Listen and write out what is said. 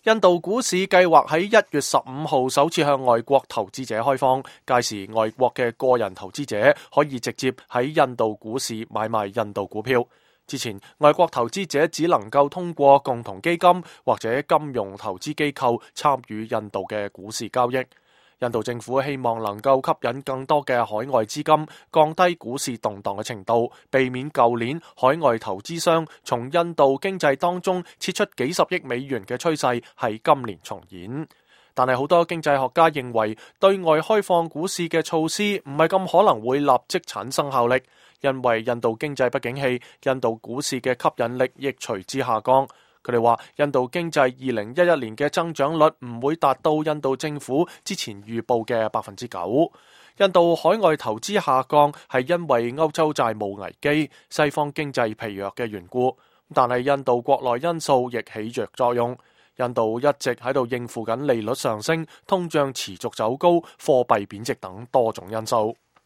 印度股市計劃喺1月15號首次向外國投資者開放，屆時外國嘅個人投資者可以直接喺印度股市買賣印度股票。之前，外國投資者只能夠通過共同基金或者金融投資機構參與印度嘅股市交易。印度政府希望能夠吸引更多嘅海外資金，降低股市動盪嘅程度，避免舊年海外投資商從印度經濟當中撤出幾十億美元嘅趨勢喺今年重演。但係好多經濟學家認為，對外開放股市嘅措施唔係咁可能會立即產生效力，因為印度經濟不景氣，印度股市嘅吸引力亦隨之下降。佢哋話，印度經濟2011年嘅增長率唔會達到印度政府之前預報嘅9%。印度海外投資下降係因為歐洲債務危機、西方經濟疲弱嘅緣故，但係印度國內因素亦起着作用。印度一直喺度應付緊利率上升、通脹持續走高、貨幣貶值等多種因素。